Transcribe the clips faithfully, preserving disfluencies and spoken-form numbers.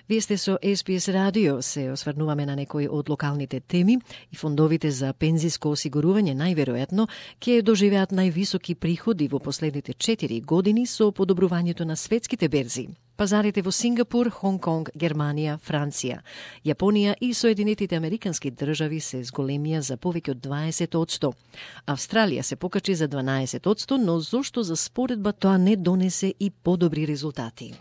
Вие сте со Ес Би Ес Радио, се осврнуваме на некои од локалните теми и фондовите за пензиско осигурување најверојатно ќе доживеат највисоки приходи во последните четири години со подобрувањето на светските берзи. Пазарите во Сингапур, Хонг Конг, Германија, Франција, Јапонија и Соединетите Американски држави се зголемија за повеќе од дваесет одсто. Австралија се покачи за дванаесет одсто, но зошто за споредба тоа не донесе и подобри резултати?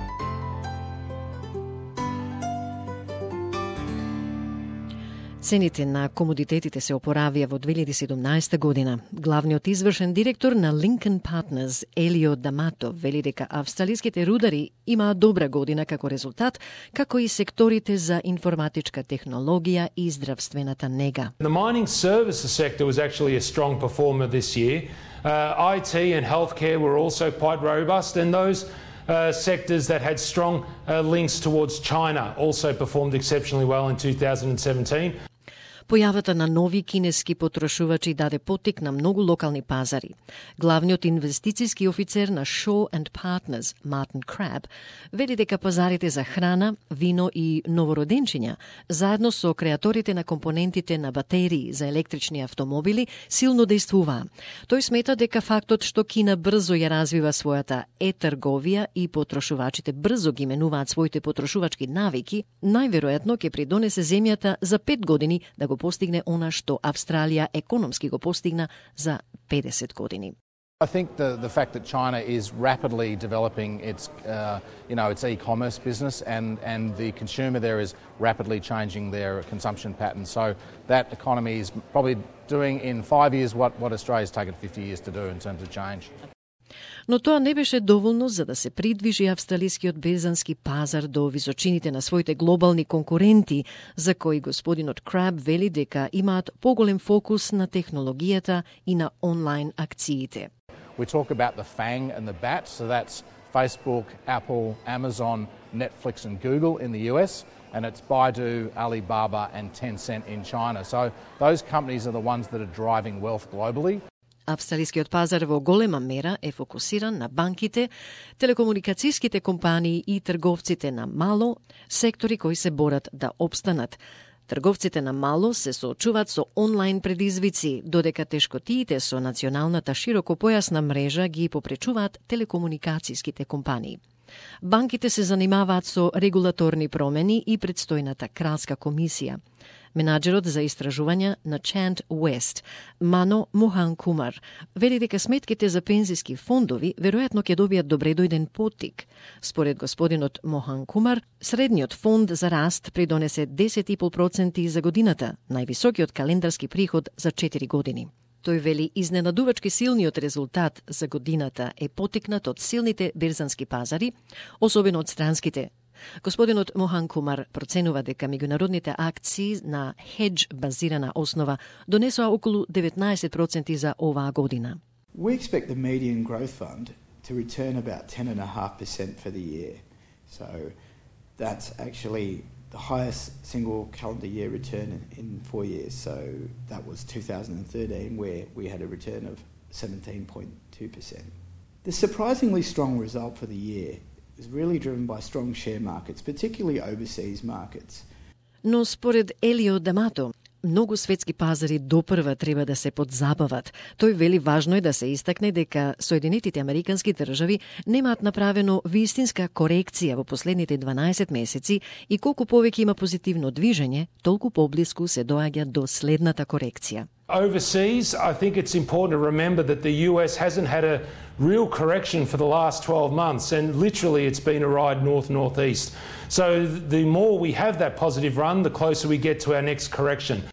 Цените на комодитетите се опоравија во две илјади и седумнаесета година. Главниот извршен директор на Lincoln Partners, Елио Дамато, вели дека австралиските рудари имаат добра година како резултат, како и секторите за информатичка технологија и здравствената нега. The mining services sector was actually a strong performer this year. Uh, I T and healthcare were also quite robust, and those Uh, sectors that had strong uh, links towards China also performed exceptionally well in two thousand seventeen. Појавата на нови кинески потрошувачи даде поттик на многу локални пазари. Главниот инвестициски офицер на Shaw and Partners, Martin Crabb, вели дека пазарите за храна, вино и новороденчиња, заедно со креаторите на компонентите на батерии за електрични автомобили, силно дејствуваа. Тој смета дека фактот што Кина брзо ја развива својата е-трговија и потрошувачите брзо ги менуваат своите потрошувачки навики, најверојатно ќе придонесе земјата за пет години да го постигне она што Австралија економски го постигна за педесет години. I think the, the fact that China is rapidly developing its, uh, you know, its e-commerce business and, and the consumer there is rapidly changing their consumption patterns. So that economy is probably doing in five years what, what Australia's taken fifty years to do in terms of change. Но тоа не беше доволно за да се придвижи австралискиот берзански пазар до височините на своите глобални конкуренти, за кои господинот Краб вели дека имаат поголем фокус на технологијата и на онлайн акциите. We talk about the FANG and the BAT, so that's Facebook, Apple, Amazon, Netflix and Google in the U S, and it's Baidu, Alibaba and Tencent in China. So those companies are the ones that are driving wealth globally. Австралискиот пазар во голема мера е фокусиран на банките, телекомуникацијските компании и трговците на мало, сектори кои се борат да опстанат. Трговците на мало се соочуваат со онлайн предизвици, додека тешкотиите со националната широкопојасна мрежа ги попречуваат телекомуникацијските компании. Банките се занимаваат со регулаторни промени и предстојната кралска комисија. Менаџерот за истражувања на Chant West, Мано Мохан Кумар, вели дека сметките за пензиски фондови веројатно ќе добијат добредојден поттик. Според господинот Мохан Кумар, средниот фонд за раст придонесе десет и пет проценти за годината, највисокиот календарски приход за четири години. Тој вели изненадувачки силниот резултат за годината е поттикнат од силните берзански пазари, особено од странските. Господинот Мохан Кумар проценува дека меѓународните акции на хедж базирана основа донесоа околу деветнаесет проценти за оваа година. We expect the median growth fund to return about ten point five percent for the year. So that's actually the highest single calendar year return in, in four years. So that was two thousand thirteen where we had a return of seventeen point two percent. The surprisingly strong result for the year is really driven by strong share markets, particularly overseas markets. Но според Елио Дамато, многу светски пазари допрва треба да се подзабават. Тој вели важно е да се истакне дека Соединетите Американски држави немаат направено вистинска корекција во последните дванаесет месеци и колку повеќе има позитивно движење, толку поблиску се доаѓа до следната корекција. Overseas, I think it's important to remember that the U S hasn't had a real correction for the last twelve months, and literally it's been a ride north-northeast. So the more we have that positive run, the closer we get to our next correction.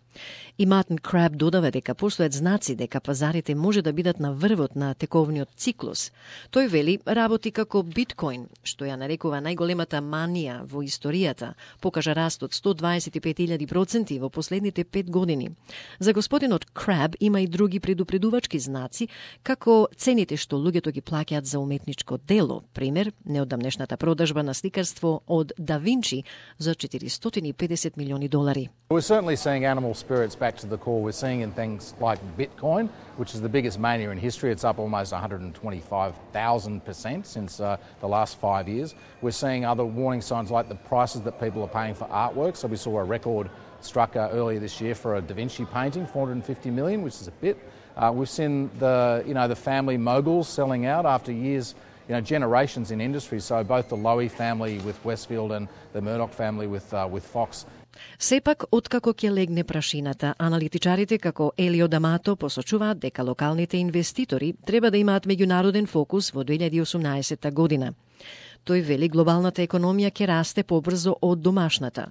И Мартин Краб додава дека постојат знаци дека пазарите може да бидат на врвот на тековниот циклус. Тој вели работи како биткоин, што ја нарекува најголемата манија во историјата, покажа раст од сто дваесет и пет илјади проценти во последните пет години. За господинот Краб има и други предупредувачки знаци, како цените што луѓето ги плаќаат за уметничко дело, пример, неодамнешната продажба на сликарство од Да Винчи за четиристотини и педесет милиони долари. We're certainly seeing animal spirits back to the core, we're seeing in things like Bitcoin, which is the biggest mania in history. It's up almost one hundred twenty-five thousand percent since uh, the last five years. We're seeing other warning signs like the prices that people are paying for artwork. So we saw a record struck uh, earlier this year for a Da Vinci painting, four hundred fifty million, which is a bit. Uh, we've seen the, you know, the family moguls selling out after years, you know, generations in industry. So both the Lowy family with Westfield and the Murdoch family with uh, with Fox. Сепак, откако ќе легне прашината, аналитичарите како Елио Дамато посочуваат дека локалните инвеститори треба да имаат меѓународен фокус во две илјади и осумнаесетта година. Тој вели глобалната економија ќе расте побрзо од домашната.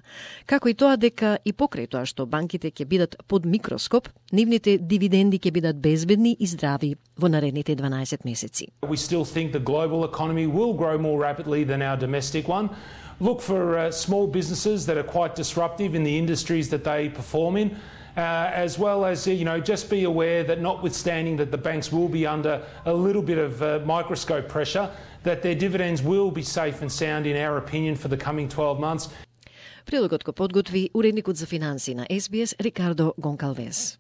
Како и тоа дека и покрај тоа што банките ќе бидат под микроскоп, нивните дивиденди ќе бидат безбедни и здрави во наредните дванаесет месеци. We still think the global economy will grow more rapidly than our domestic one. Look for uh, small businesses that are quite disruptive in the industries that they perform in. Uh, as well as, you know, just be aware that notwithstanding that the banks will be under a little bit of uh, microscope pressure, that their dividends will be safe and sound in our opinion for the coming twelve months. Прилогот го подготви уредникот за финансии на Ес Би Ес Рикардо Гонкалвес.